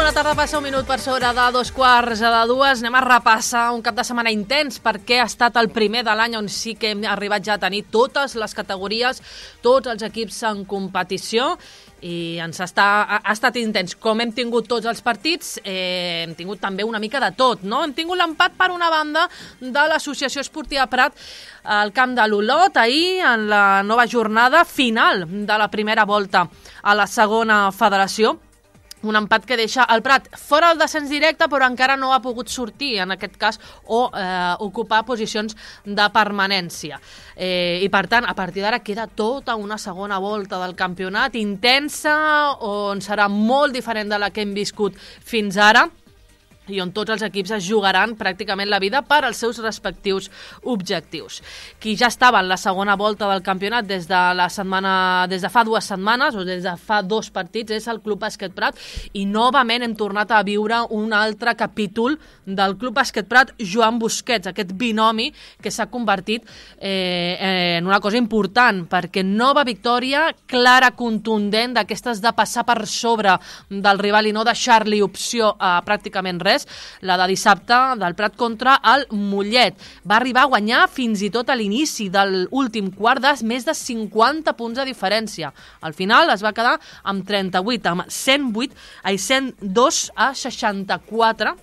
la tarda passa un minut per sobre de 2:15. Anem a repassar un cap de setmana intens perquè ha estat el primer de l'any on sí que hem arribat ja a tenir totes les categories, tots els equips en competició i ha estat intens. Com hem tingut tots els partits, hem tingut també una mica de tot, no? Hem tingut l'empat per una banda de l'Associació Esportiva Prat al camp de l'Olot ahir en la nova jornada final de la primera volta a la segona federació. Un empat que deixa el Prat fora del descens directe, però encara no ha pogut sortir, en aquest cas, o ocupar posicions de permanència. I, per tant, a partir d'ara queda tota una segona volta del campionat intensa, on serà molt diferent de la que hem viscut fins ara, i on tots els equips es jugaran pràcticament la vida per als seus respectius objectius. Qui ja estava en la segona volta del campionat des de fa 2 setmanes o des de fa 2 partits és el Club Bàsquet Prat, i novament hem tornat a viure un altre capítol del Club Bàsquet Prat Joan Busquets, aquest binomi que s'ha convertit en una cosa important, perquè nova victòria clara, contundent, d'aquestes de passar per sobre del rival i no deixar-li opció a pràcticament res, la de dissabte del Prat contra el Mollet. Va arribar a guanyar fins i tot a l'inici de l'últim quart de més de 50 punts de diferència. Al final es va quedar amb 38, amb 102 a 64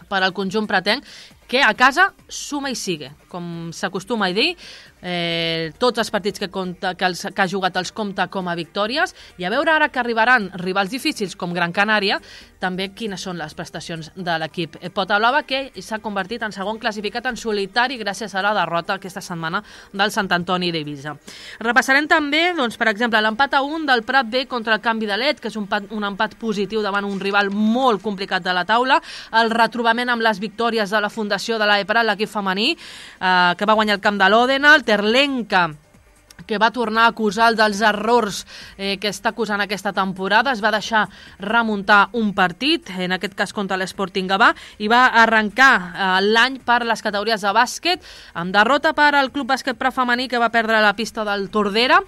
per al conjunt pratenc, que a casa suma i sigue, com s'acostuma a dir. Tots els partits que ha jugat els compta com a victòries, i a veure ara que arribaran rivals difícils com Gran Canària, també quines són les prestacions de l'equip Pota Blava, que s'ha convertit en segon classificat en solitari gràcies a la derrota aquesta setmana del Sant Antoni d'Eivissa. Repassarem també, doncs, per exemple, l'empat a 1 del Prat B contra el Canvi de Let, que és un empat positiu davant un rival molt complicat de la taula, el retrobament amb les victòries de la fundació de l'AEPRAT, l'equip femení, que va guanyar el camp de l'Òdena, el Terlenca, que va tornar a acusar dels errors que està acusant aquesta temporada, es va deixar remuntar un partit, en aquest cas contra l'Sporting Gavà, i va arrencar l'any per les categories de bàsquet, amb derrota per al Club Bàsquet Prat femení, que va perdre la pista del Tordera,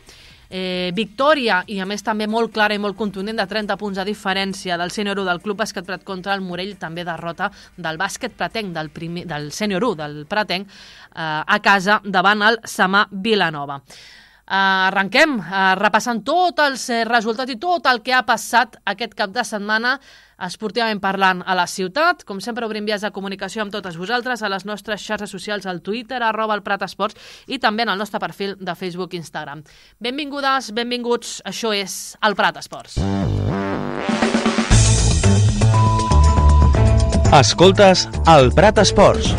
victòria, i a més també molt clara i molt contundent, de 30 punts de diferència del sènior 1 del Club Bàsquet Prat contra el Morell, també derrota del bàsquet pratenc, del sènior 1 del pratenc, a casa davant el Samà Vilanova. Arrenquem repassant tots els resultats i tot el que ha passat aquest cap de setmana esportivament parlant a la ciutat. Com sempre, obrim vies de comunicació amb totes vosaltres a les nostres xarxes socials, al Twitter, @elPratEsports, i també en el nostre perfil de Facebook i Instagram. Benvingudes, benvinguts, això és el Prat Esports. Escoltes el Prat Esports.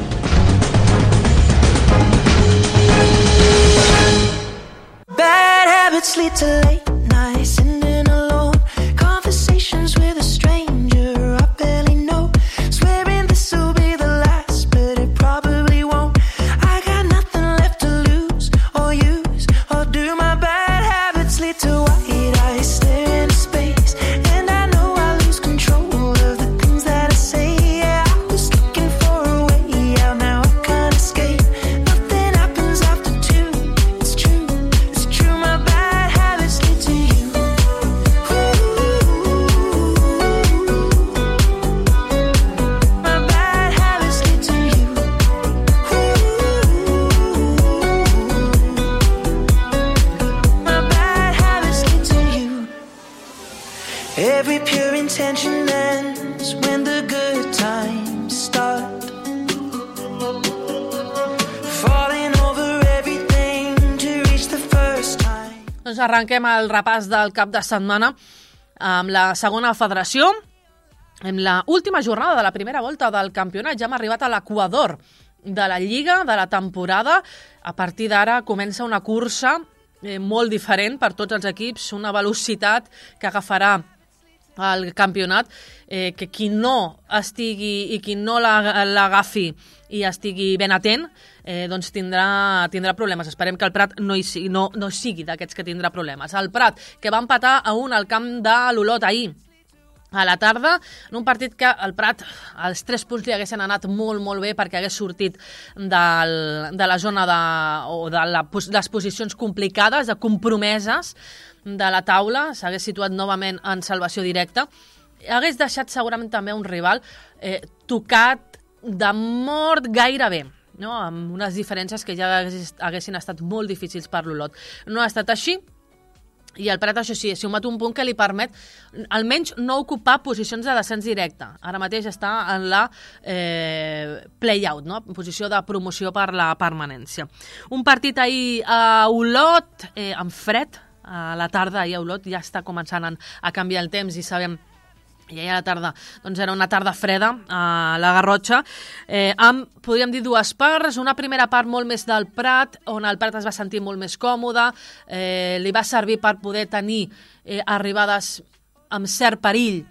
Bad habits lead to late nights, sitting alone, conversations with a stranger I barely know, swearing this will be the last, but it probably won't. I got nothing left to lose or use, or do my bad habits lead to white eyes staring into space, and I know I lose control of the things that I say. Yeah, I was looking for a way out, now I can't escape. Nothing happens after 2, it's true, it's true, my bad habits lead to you. My bad habits lead to you. My bad habits lead to you. Every pure intention ends when the good times start. Falling over everything to reach the first time. Doncs arrenquem el repàs del cap de setmana amb la segona federació, en la última jornada de la primera volta del campionat. Ja hem arribat a l'equador de la Lliga, de la temporada. A partir d'ara comença una cursa molt diferent per tots els equips, una velocitat que agafarà el campionat, que qui no estigui i qui no l'agafi i estigui ben atent, doncs tindrà problemes. Esperem que el Prat no sigui d'aquests que tindrà problemes. El Prat, que va empatar a 1 al camp de l'Olot ahir a la tarda, en un partit que el Prat, els 3 punts li haguessin anat molt, molt bé, perquè hagués sortit de la zona de les posicions complicades, de compromeses de la taula, s'hagués situat novament en salvació directa. hagués deixat segurament també un rival tocat de mort gairebé, no? Amb unes diferències que ja haguessin estat molt difícils per l'Olot. No ha estat així, i el Prat, això sí, ha sumat un punt que li permet almenys no ocupar posicions de descens directe. Ara mateix està en la play-out, no? Posició de promoció per la permanència. Un partit ahir a Olot, amb fred, a la tarda, ahir a Olot ja està començant a canviar el temps i sabem i ahir a la tarda doncs era una tarda freda a la Garrotxa, amb, podríem dir, dues parts. Una primera part molt més del Prat, on el Prat es va sentir molt més còmode, li va servir per poder tenir arribades amb cert perill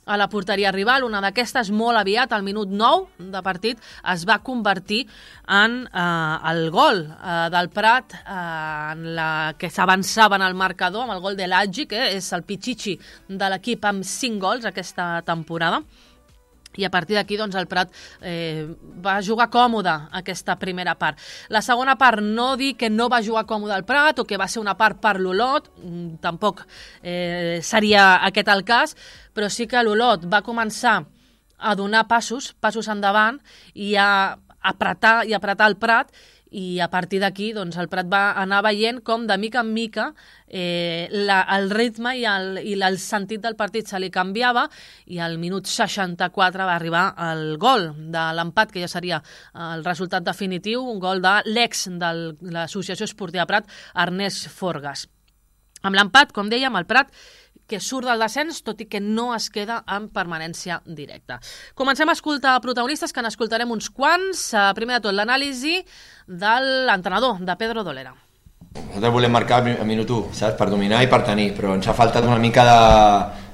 a la porteria rival. Una d'aquestes, molt aviat, al minut 9 de partit, es va convertir en el gol del Prat, en la que s'avançava en el marcador, amb el gol de l'Aggi, que és el pitxitxi de l'equip amb 5 gols aquesta temporada. I a partir d'aquí doncs, el Prat va jugar còmode aquesta primera part. La segona part, no dir que no va jugar còmode el Prat o que va ser una part per l'Olot, tampoc seria aquest el cas, però sí que l'Olot va començar a donar passos endavant i a apretar el Prat, i a partir d'aquí doncs, el Prat va anar veient com de mica en mica el ritme i el sentit del partit se li canviava, i al minut 64 va arribar el gol de l'empat, que ja seria el resultat definitiu, un gol de l'ex de l'Associació Esportiva Prat, Ernest Forgas. Amb l'empat, com dèiem, el Prat que surt del descens, tot i que no es queda en permanència directa. Comencem a escoltar protagonistes, que n'escoltarem uns quants. Primer de tot, l'anàlisi de l'entrenador, de Pedro Dolera. Nosaltres volem marcar a minut 1, saps? Per dominar i per tenir, però ens ha faltat una mica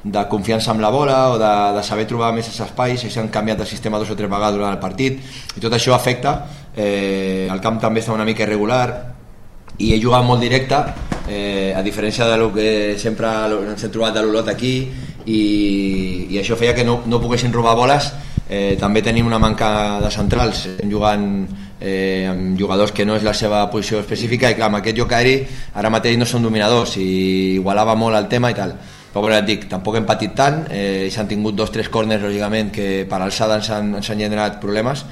de confiança amb la bola o de saber trobar més els espais, i s'han canviat el sistema 2 o 3 vegades durant el partit, i tot això afecta. El camp també està una mica irregular, i he jugat molt directe, a diferència del que sempre ens hem trobat de l'Olot aquí, i això feia que no poguessin robar boles. També tenim una manca de centrals, estem jugant amb jugadors que no és la seva posició específica, i clar, amb aquest joc aeri ara mateix no són dominadors, i igualava molt el tema i tal. Però ja et dic, tampoc hem patit tant, s'han tingut 2 o 3 córners, lògicament, que per alçada ens han generat problemes,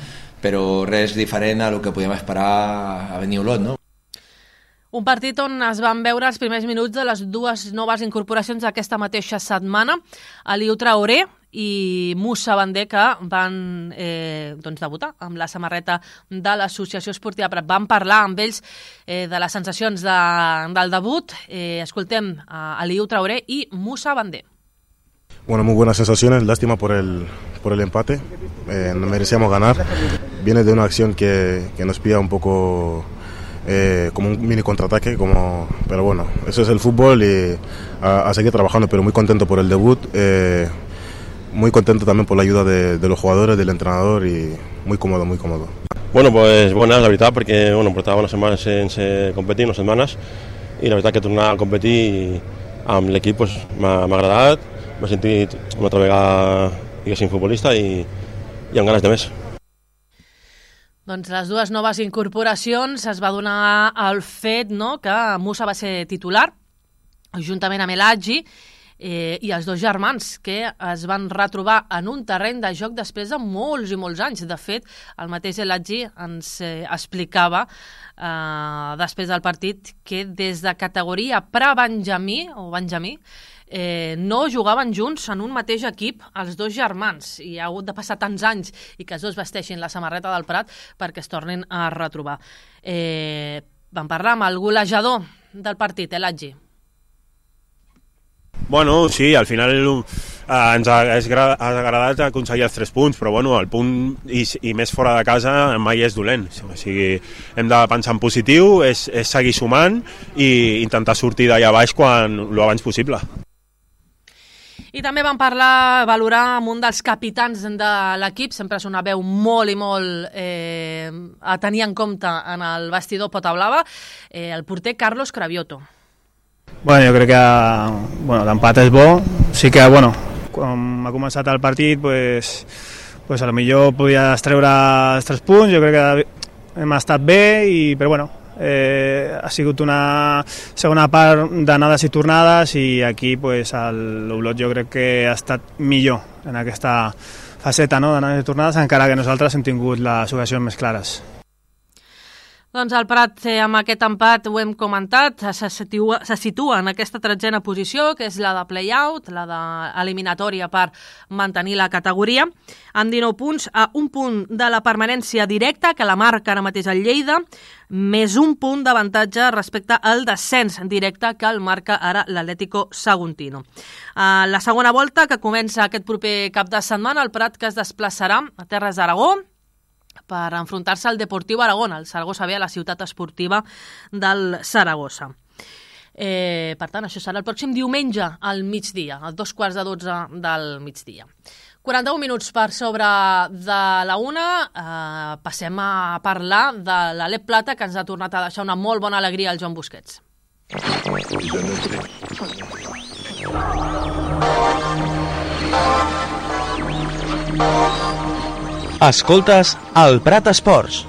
però res diferent a el que podíem esperar a venir Olot, no? Un partit on es van veure els primers minuts de les 2 noves incorporacions d'aquesta mateixa setmana, Aliou Traoré i Moussa Bandé, que van debutar amb la samarreta de l'Associació Esportiva Prat. Vam parlar amb ells de les sensacions del debut. Escoltem a Aliou Traoré i Moussa Bandé. Bueno, muy buenas sensaciones, lástima por el empate, no merecíamos ganar. Viene de una acción que nos pilla un poco como un mini contraataque, pero bueno, eso es el fútbol, y a seguir trabajando, pero muy contento por el debut, muy contento también por la ayuda de los jugadores, del entrenador, y muy cómodo, muy cómodo. Bueno, pues bona, la veritat, perquè portava unes setmanes sense competir, unes setmanes, i la veritat que tornar a competir amb l'equip m'ha agradat, m'he sentit una altra vegada, diguéssim, futbolista, i amb ganes de més. Doncs les 2 noves incorporacions es va donar el fet que Moussa va ser titular, juntament amb l'Aggi, i els 2 germans, que es van retrobar en un terreny de joc després de molts i molts anys. De fet, el mateix l'Aggi ens explicava després del partit que des de categoria pre-benjamí o benjamí no jugaven junts en un mateix equip els 2 germans, i ha hagut de passar tants anys i que els 2 vesteixin la samarreta del Prat perquè es tornin a retrobar. Vam parlar amb el golejador del partit, l'Aggi. Bueno, sí, al final ens ha agradat aconseguir els 3 punts, però bueno, el punt i més fora de casa mai és dolent. O sigui, hem de pensar en positiu, és seguir sumant i intentar sortir d'allà baix lo abans possible. I també vam valorar amb un dels capitans de l'equip, sempre és una veu molt i molt a tenir en compte en el vestidor Pota Blava, el porter Carlos Cravioto. Bueno, jo crec que l'empat és bo. Sí que, quan ha començat el partit, pues a lo millor podies treure els 3 punts. Jo crec que hem estat bé, però ha sigut una segona part d'anades i tornades i aquí pues, l'Olot jo crec que ha estat millor en aquesta faceta, no?, d'anades i tornades, encara que nosaltres hem tingut les ocasions més clares. Doncs el Prat, amb aquest empat, ho hem comentat, se situa en aquesta 13a posició, que és la de play-out, la d'eliminatòria per mantenir la categoria, amb 19 punts, a un punt de la permanència directa, que la marca ara mateix el Lleida, més un punt d'avantatge respecte al descens directe que el marca ara l'Atlético Saguntino. La segona volta, que comença aquest proper cap de setmana, el Prat que es desplaçarà a Terres d'Aragó, per enfrontar-se al Deportiu Aragón, el Saragossa B, a la ciutat esportiva del Saragossa. Per tant, això serà el pròxim diumenge al migdia, a 2:15 del migdia. 41 minuts per sobre de la 1, passem a parlar de l'Alep Plata, que ens ha tornat a deixar una molt bona alegria al Joan Busquets. Escoltes el Prat Esports.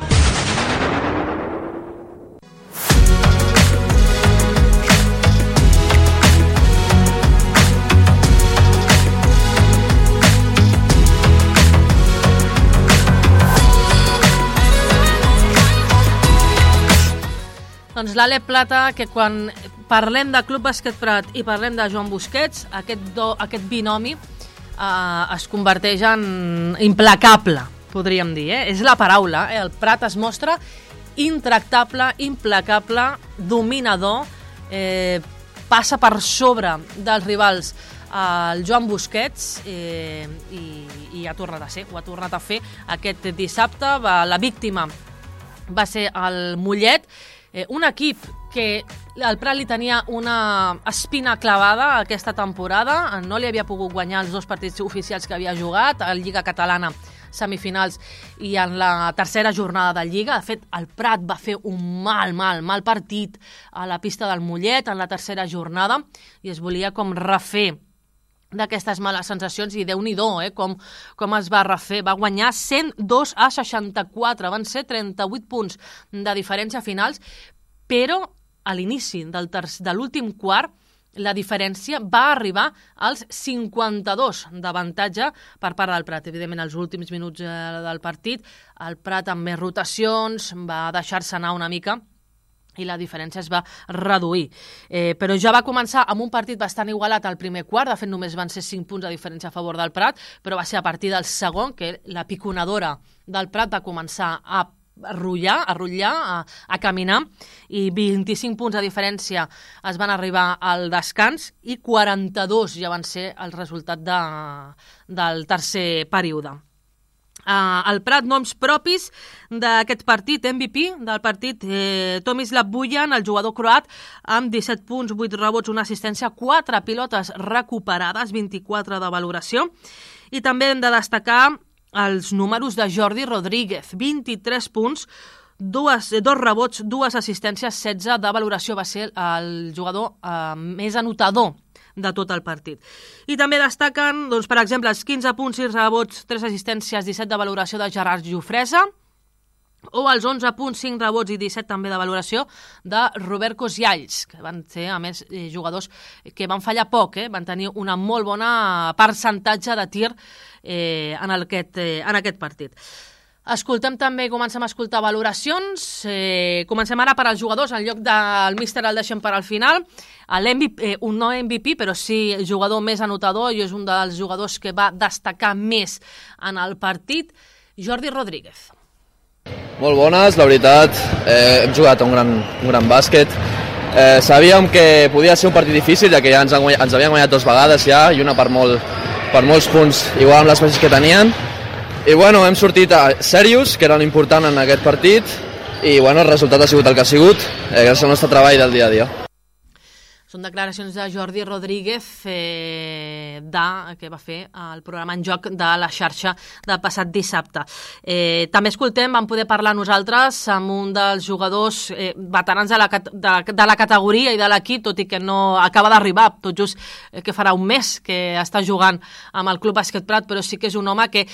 Doncs l'Alep Plata, que quan parlem de Club Bàsquet Prat i parlem de Joan Busquets, aquest binomi es converteix en implacable, podríem dir, és la paraula. El Prat es mostra intractable, implacable, dominador, passa per sobre dels rivals el Joan Busquets i ha tornat a ser, ho ha tornat a fer aquest dissabte. La víctima va ser el Mollet, un equip que el Prat li tenia una espina clavada aquesta temporada, no li havia pogut guanyar els 2 partits oficials que havia jugat, a la Lliga Catalana semifinals i en la tercera jornada de Lliga. De fet, el Prat va fer un mal partit a la pista del Mollet en la tercera jornada i es volia com refer d'aquestes males sensacions i Déu-n'hi-do, com es va refer. Va guanyar 102-64, van ser 38 punts de diferència finals, però a l'inici de l'últim quart la diferència va arribar als 52 d'avantatge per part del Prat. Evidentment, els últims minuts del partit, el Prat amb més rotacions va deixar-se anar una mica i la diferència es va reduir. Però ja va començar amb un partit bastant igualat al primer quart, de fet només van ser 5 punts de diferència a favor del Prat, però va ser a partir del segon que la piconadora del Prat va començar a rotllar, a caminar, i 25 punts de diferència es van arribar al descans i 42 ja van ser el resultat del tercer període. El Prat, noms propis d'aquest partit, MVP del partit, Tomislav Bujan, el jugador croat, amb 17 punts, 8 rebots, una assistència, 4 pilotes recuperades, 24 de valoració, i també hem de destacar els números de Jordi Rodríguez, 23 punts, 2 rebots, 2 assistències, 16 de valoració, va ser el jugador més anotador de tot el partit. I també destaquen, doncs, per exemple, els 15 punts, 6 rebots, 3 assistències, 17 de valoració de Gerard Jofresa, o els 11 punts, 5 rebots i 17 també de valoració de Robert Koscielny, que van ser, a més, jugadors que van fallar poc, van tenir una molt bona percentatge de tir en aquest partit. Escoltem també, comencem a escoltar valoracions. Comencem ara per als jugadors, en lloc del míster el deixem per al final. Un no MVP, però sí jugador més anotador, i és un dels jugadors que va destacar més en el partit, Jordi Rodríguez. Molt bones, la veritat. Hem jugat un gran bàsquet. Sabíem que podia ser un partit difícil, ja que ja ens havien guanyat 2 vegades ja, i una per molts punts, igual amb les baixes que tenien. I bueno, hem sortit serios, que era l'important en aquest partit, i bueno, el resultat ha sigut el que ha sigut, gràcies al nostre treball del dia a dia. Són declaracions de Jordi Rodríguez que va fer el programa En Joc de la xarxa del passat dissabte. També escoltem, vam poder parlar nosaltres amb un dels jugadors veterans de la categoria i de l'equip, tot i que no acaba d'arribar, tot just que farà un mes que està jugant amb el Club Bàsquet Prat, però sí que és un home que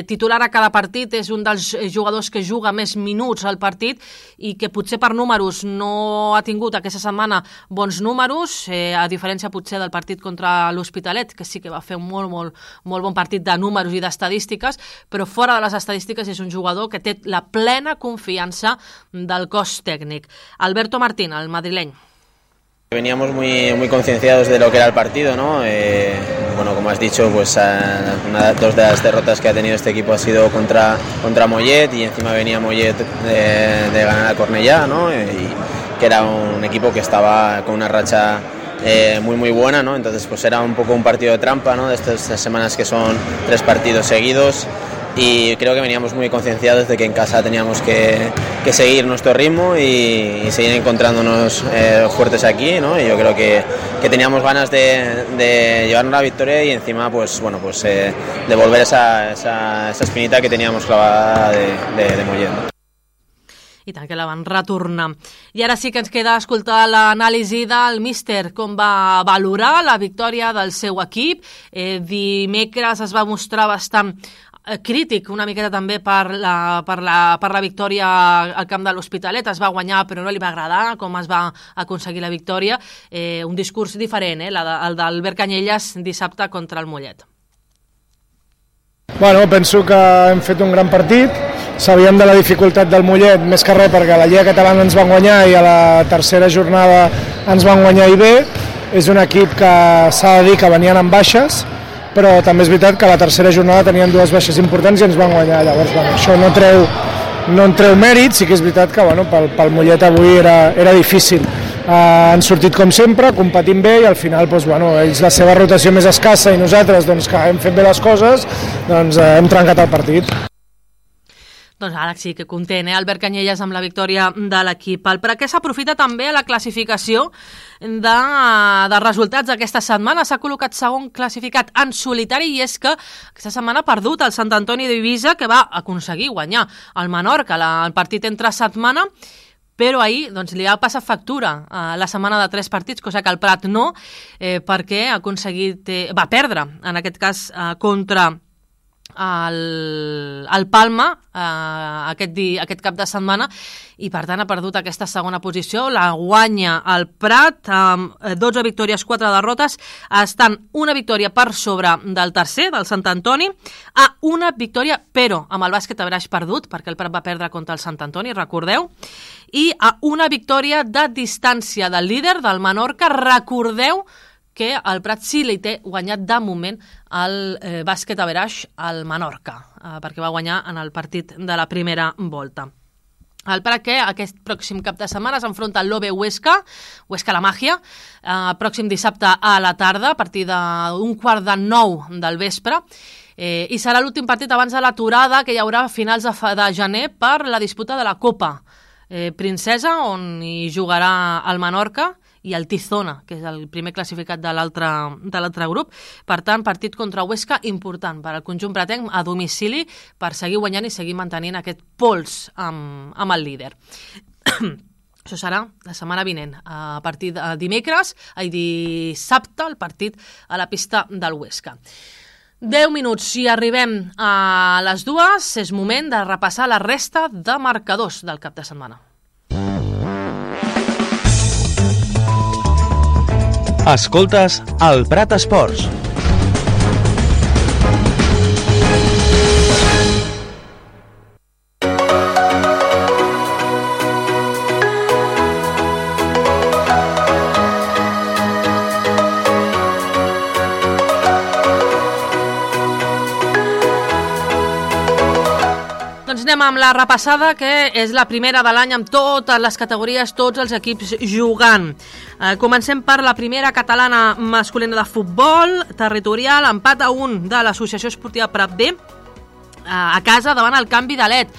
titular a cada partit, és un dels jugadors que juga més minuts al partit i que potser per números no ha tingut aquesta setmana bons números, a diferència potser del partit contra l'Hospitalet, que sí que va fer un molt bon partit de números i d'estadístiques, però fora de les estadístiques és un jugador que té la plena confiança del cos tècnic. Alberto Martín, el madrileny. Veníamos muy concienciados de lo que era el partido, ¿no? Bueno, como has dicho, pues dos de las derrotas que ha tenido este equipo ha sido contra Mollet, y encima venía Mollet de ganar a Cornellá, ¿no? Y que era un equipo que estaba con una racha muy buena, ¿no? Entonces pues era un poco un partido de trampa, ¿no? De estas semanas que son 3 partidos seguidos, y creo que veníamos muy concienciados de que en casa teníamos que seguir nuestro ritmo y seguir encontrándonos fuertes aquí, ¿no? Y yo creo que teníamos ganas de llevarnos la victoria y encima pues devolver esa espinita que teníamos clavada de Mollet, ¿no? I tant que la van retornar. I ara sí que ens queda escoltar l'anàlisi del míster, com va valorar la victòria del seu equip. Dimecres es va mostrar bastant crític una miqueta també per la victòria al camp de l'Hospitalet. Es va guanyar però no li va agradar com es va aconseguir la victòria. Un discurs diferent, el d'Albert Canyelles dissabte contra el Mollet. Bueno, penso que hem fet un gran partit. Sabíem de la dificultat del Mollet, més que res perquè a la Lliga Catalana ens van guanyar i a la tercera jornada ens van guanyar i bé. És un equip que s'ha de dir que venien amb baixes, però també és veritat que a la tercera jornada tenien 2 baixes importants i ens van guanyar. Llavors, això no en treu mèrit, sí que és veritat que pel Mollet avui era difícil. Han sortit com sempre, competint bé, i al final ells la seva rotació més escassa i nosaltres que hem fet bé les coses, hem trencat el partit. Doncs ara sí que content, Albert Canyelles amb la victòria de l'equip. El Prat que s'aprofita també a la classificació de resultats d'aquesta setmana. S'ha col·locat segon classificat en solitari, i és que aquesta setmana ha perdut el Sant Antoni d'Eivissa, que va aconseguir guanyar el Menorca el partit entre setmana, però ahir li va passar factura la setmana de 3 partits, cosa que el Prat no, perquè va perdre, en aquest cas, contra el Palma aquest cap de setmana, i per tant ha perdut aquesta segona posició. La guanya el Prat amb 12 victòries, 4 derrotes, estan una victòria per sobre del tercer, del Sant Antoni, a una victòria però amb el Bàsquet Averaix perdut, perquè el Prat va perdre contra el Sant Antoni, recordeu, i a una victòria de distància del líder, del Menorca. Recordeu que el Prat sí li té guanyat de moment el Bàsquet Averaix al Menorca, perquè va guanyar en el partit de la primera volta. El Prat que aquest pròxim cap de setmana s'enfronta al l'OB Huesca La Màgia, pròxim dissabte a la tarda, a partir d'un 8:45 del vespre, i serà l'últim partit abans de l'aturada que hi haurà a finals de gener per la disputa de la Copa Princesa, on hi jugarà el Menorca i el Tizona, que és el primer classificat de l'altre grup. Per tant, partit contra Huesca important per al conjunt pratenc a domicili, per seguir guanyant i seguir mantenint aquest pols amb el líder. Això serà la setmana vinent, a partir de dissabte, el partit a la pista del Huesca. 10 minuts, si arribem a les 2, és moment de repassar la resta de marcadors del cap de setmana. Escoltes el Prat Esports. Doncs anem amb la repassada, que és la primera de l'any amb totes les categories, tots els equips jugant. Comencem per la primera catalana masculina de futbol territorial, empat a 1 de l'Associació Esportiva Prat B a casa davant el Can Vidalet.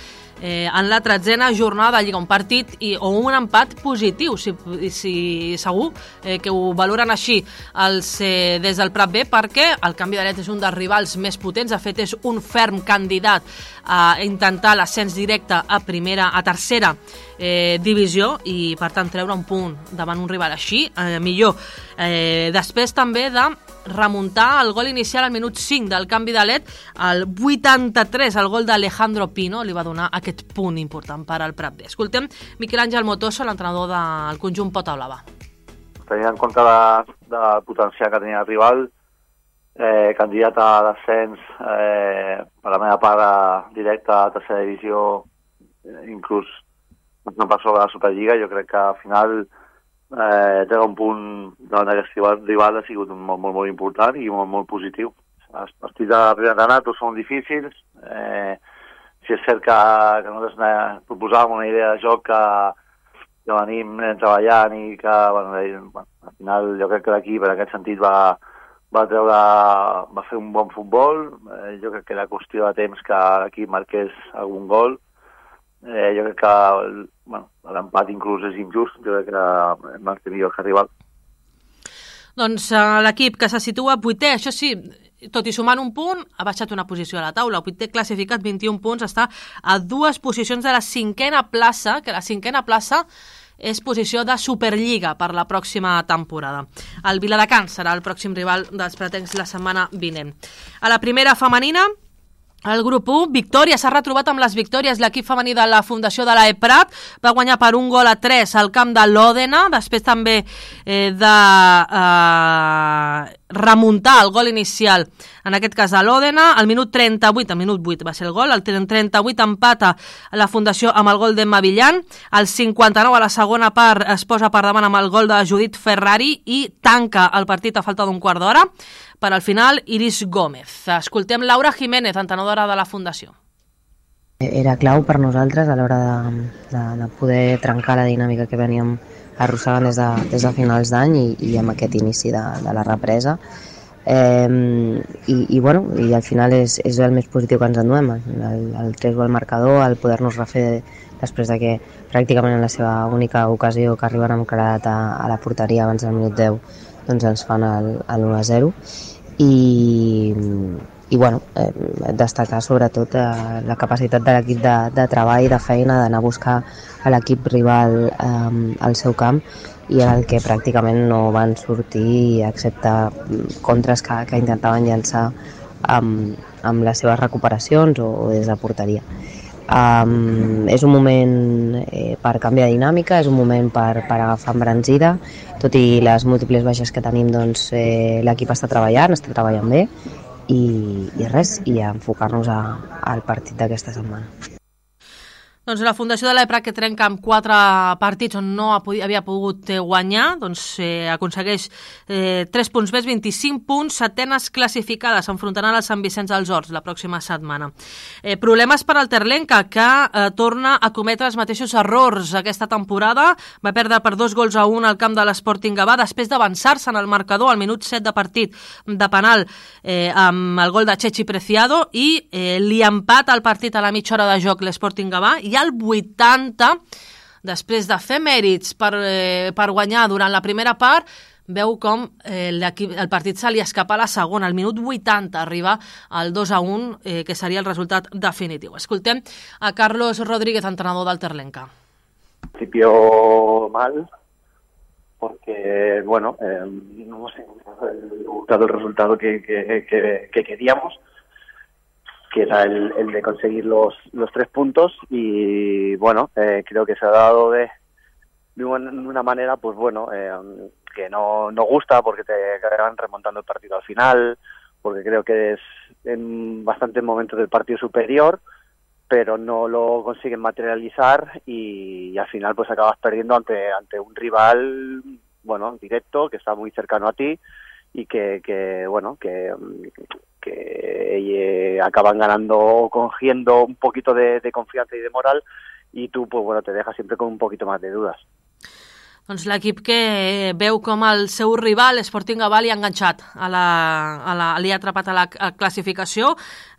en la 13a jornada de Lliga, un partit o un empat positiu, si segur que ho valoren així des del Prat B, perquè el Canvi de Llet és un dels rivals més potents, de fet és un ferm candidat a intentar l'ascens directe a tercera divisió i per tant treure un punt davant un rival així, millor. Després també de remuntar el gol inicial al minut 5 del Canvi de Llet, al 83, el gol d'Alejandro Pino li va donar aquest punt important per al Prat B. Escoltem Miquel Àngel Motoso, l'entrenador del conjunt Pota Blava. Tenint en compte del potencial que tenia el rival, candidat a l'ascens, per la meva part directa a tercera divisió, inclús no per sobre la Superliga, jo crec que al final treure un punt davant d'aquest rival ha sigut molt, molt, molt important i molt, molt positiu. Els partits de primer anat són difícils. Si és cert que nosaltres proposàvem una idea de joc que venim treballant i que al final jo crec que l'equip en aquest sentit va fer un bon futbol. Jo crec que era qüestió de temps que l'equip marqués algun gol. Jo crec que l'empat inclús és injust, jo crec que hem marcat millor que el rival. Doncs l'equip que se situa 8è, això sí, tot i sumant un punt, ha baixat una posició a la taula. El 8è classificat, 21 punts, està a 2 posicions de la 5a plaça, que la 5a plaça és posició de Superliga per la pròxima temporada. El Viladecans serà el pròxim rival dels pratencs la setmana vinent. A la primera femenina, el grup 1, victòria, s'ha retrobat amb les victòries. L'equip femení de la Fundació de l'Eprat va guanyar per 1-3 al camp de l'Òdena, després també de remuntar el gol inicial, en aquest cas a l'Òdena, al minut 38, al minut 8 va ser el gol, al 38 empata la Fundació amb el gol d'Emma Villan, al 59 a la segona part es posa per davant amb el gol de Judit Ferrari i tanca el partit a falta d'un quart d'hora. Per al final, Iris Gómez. Escoltem Laura Jiménez, entrenadora de la Fundació. Era clau per nosaltres a l'hora de poder trencar la dinàmica que veníem arrossegant des de finals d'any i amb aquest inici de la represa. I al final és el més positiu que ens enduem, el 3 gol marcador, el poder-nos refer després de que pràcticament en la seva única ocasió que arriben amb claredat a la porteria abans del minut 10 doncs ens fan l'1-0 i destacar sobretot la capacitat de l'equip de treball, de feina, d'anar a buscar a l'equip rival al seu camp i en el que pràcticament no van sortir excepte contres que intentaven llançar amb les seves recuperacions o des de porteria. És un moment per canviar de dinàmica, és un moment per agafar embranzida, tot i les múltiples baixes que tenim, doncs l'equip està treballant bé i enfocar-nos al partit d'aquesta setmana. Doncs la Fundació de l'Eprat, que trenca amb 4 partits on no havia pogut guanyar, doncs aconsegueix 3 punts més, 25 punts, setenes classificades, s'enfrontaran al Sant Vicenç dels Horts la pròxima setmana. Problemes per al Terlenca, que torna a cometre els mateixos errors aquesta temporada, va perdre per 2-1 al camp de l'Sporting Gavà, després d'avançar-se en el marcador al minut 7 de partit de penal amb el gol de Chechi Preciado i li empata el partit a la mitja hora de joc l'Sporting Gavà i al 80, després de fer mèrits per guanyar durant la primera part, veu com el partit se li escapa a la segona. Al minut 80 arriba al 2-1, que seria el resultat definitiu. Escoltem a Carlos Rodríguez, entrenador del Terlenca. Al principio mal, porque, no hemos encontrado el resultado que queríamos, que era el de conseguir los 3 puntos y creo que se ha dado de una manera que no gusta, porque te acaban remontando el partido al final, porque creo que es en bastantes momentos del partido superior, pero no lo consiguen materializar y al final pues acabas perdiendo ante un rival directo, que está muy cercano a ti y que acaban ganando, cogiendo un poquito de confianza y de moral, y tú pues te dejas siempre con un poquito más de dudas. Doncs l'equip que veu com el seu rival, Sporting Gaval, li ha enganxat, li ha atrapat a la classificació,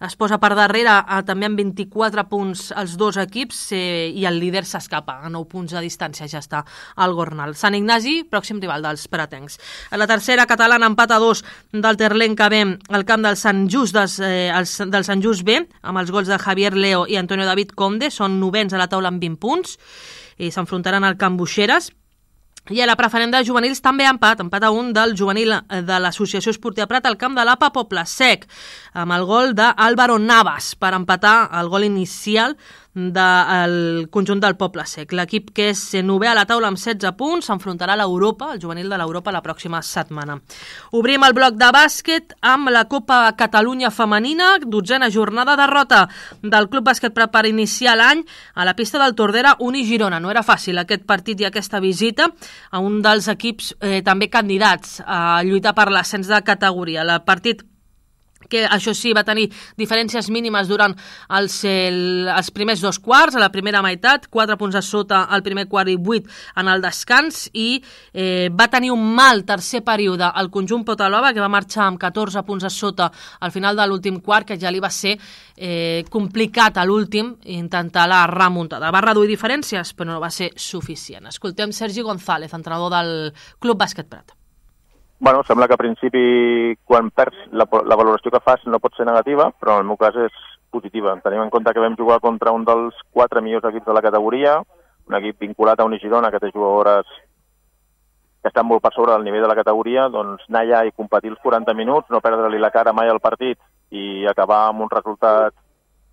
es posa per darrere també amb 24 punts els dos equips i el líder s'escapa, a 9 punts de distància ja està el Gornal. Sant Ignasi, pròxim rival dels pratencs. A la tercera catalana, empat a 2 del Terlenc que ve al camp del Sant Just, del Sant Just B, amb els gols de Javier Leo i Antonio David Conde, són novens a la taula amb 20 punts, i s'enfrontaran al Camp Buixeres. I a la preferent de juvenils també empat a 1 del juvenil de l'Associació Esportiva Prat al camp de l'APA Poble Sec, amb el gol d'Álvaro Navas per empatar el gol inicial del conjunt del Poble Sec. L'equip que és novè a la taula amb 16 punts s'enfrontarà a l'Europa, el juvenil de l'Europa, la pròxima setmana. Obrim el bloc de bàsquet amb la Copa Catalunya Femenina, 12a jornada, derrota del Club Bàsquet Prat per iniciar l'any a la pista del Tordera Uni Girona. No era fàcil aquest partit i aquesta visita a un dels equips també candidats a lluitar per l'ascens de categoria. El partit que això sí va tenir diferències mínimes durant els primers dos quarts, a la primera meitat, 4 punts a sota al primer quart i 8 en el descans, i va tenir un mal tercer període al conjunt Potalova, que va marxar amb 14 punts a sota al final de l'últim quart, que ja li va ser complicat a l'últim intentar la remuntada. Va reduir diferències, però no va ser suficient. Escoltem Sergi González, entrenador del Club Bàsquet Prat. Bueno, sembla que a principi, quan perds, la valoració que fas no pot ser negativa, però en el meu cas és positiva. Tenim en compte que vam jugar contra un dels 4 millors equips de la categoria, un equip vinculat a Unigirona, que té jugadores que estan molt per sobre del nivell de la categoria, doncs anar allà i competir els 40 minuts, no perdre-li la cara mai al partit i acabar amb un resultat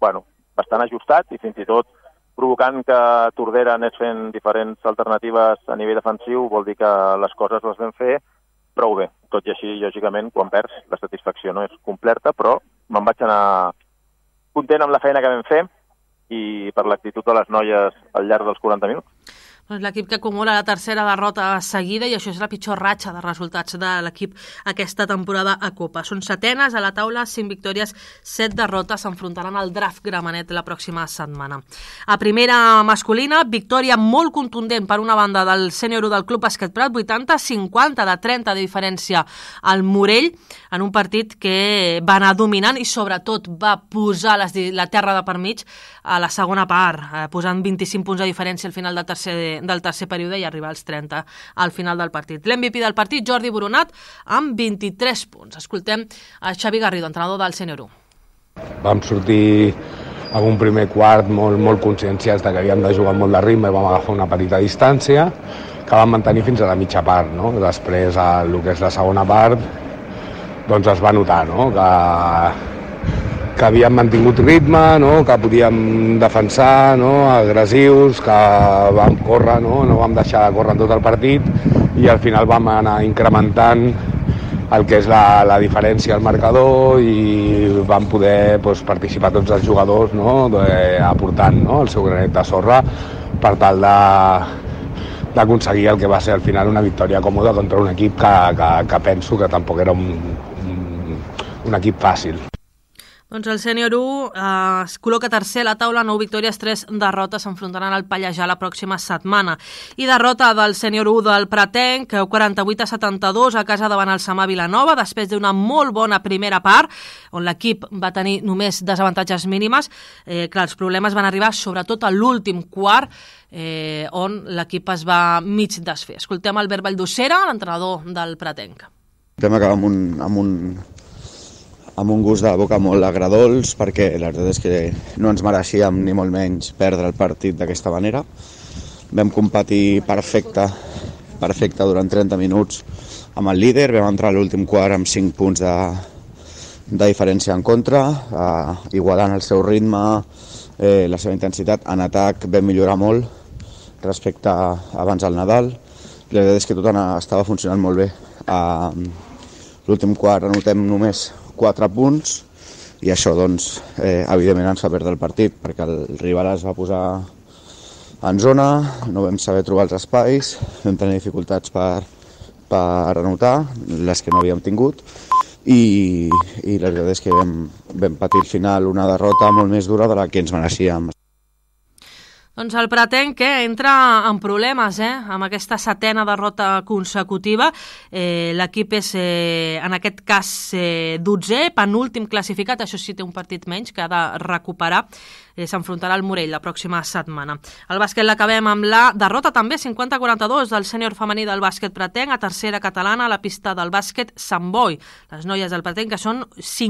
bastant ajustat i fins i tot provocant que Tordera anés fent diferents alternatives a nivell defensiu, vol dir que les coses les vam fer prou bé. Tot i així, lògicament, quan perds, la satisfacció no és completa, però me'n vaig anar content amb la feina que vam fer i per l'actitud de les noies al llarg dels 40 minuts. L'equip que acumula la tercera derrota seguida, i això és la pitjor ratxa de resultats de l'equip aquesta temporada a Copa. Són setenes a la taula, 5 victòries, 7 derrotes, s'enfrontaran al Draft Gramenet la pròxima setmana. A primera masculina, victòria molt contundent per una banda del sènior del Club Bàsquet Prat, 80-50 de 30 de diferència al Morell, en un partit que va anar dominant i sobretot va posar la terra de per mig a la segona part, posant 25 punts de diferència al final del tercer període i arribar als 30 al final del partit. L'MVP del partit, Jordi Boronat, amb 23 punts. Escoltem a Xavi Garrido, entrenador del Sènior 1. Vam sortir amb un primer quart molt conscienciats de que havíem de jugar molt de ritme i vam agafar una petita distància que vam mantenir fins a la mitja part. No? Després, el que és la segona part, doncs es va notar, no? que havíem mantingut ritme, no? Que podíem defensar, no? Agressius, que vam córrer, no vam deixar de córrer en tot el partit i al final vam anar incrementant el que és la diferència al marcador i vam poder participar tots els jugadors, no? Aportant, no? El seu granet de sorra per tal d'aconseguir el que va ser al final una victòria còmoda contra un equip que penso que tampoc era un equip fàcil. Doncs el Sènior 1 es col·loca tercer a la taula, 9 victòries, 3 derrotes, s'enfrontaran al Pallejà la pròxima setmana. I derrota del Sènior 1 del Pratenc, 48-72 a casa davant el Samà Vilanova, després d'una molt bona primera part, on l'equip va tenir només desavantatges mínimes. Clar, els problemes van arribar sobretot a l'últim quart, on l'equip es va mig desfer. Escoltem Albert Valldosera, l'entrenador del Pratenc. Vam acabar amb un gust de boca molt agradols, perquè la veritat és que no ens mereixíem ni molt menys perdre el partit d'aquesta manera. Vam competir perfecte durant 30 minuts amb el líder, vam entrar a l'últim quart amb 5 punts de diferència en contra, igualant el seu ritme, la seva intensitat. En atac vam millorar molt respecte a abans del Nadal. La veritat és que tot estava funcionant molt bé. A l'últim quart anotem només 4 punts i això, doncs, evidentment ens va perdre el partit perquè el rival es va posar en zona, no vam saber trobar els espais, vam tenir dificultats per anotar, les que no havíem tingut, i la veritat és que vam patir al final una derrota molt més dura de la que ens mereixíem. Doncs el Pretenc que entra en problemes amb aquesta 7ª derrota consecutiva. L'equip és, en aquest cas, 12è, penúltim classificat, això sí té un partit menys que ha de recuperar. S'enfrontarà al Morell la pròxima setmana. El bàsquet l'acabem amb la derrota també 50-42 del sènior femení del bàsquet Pretenc a tercera catalana a la pista del bàsquet Sant Boi. Les noies del Pretenc que són 5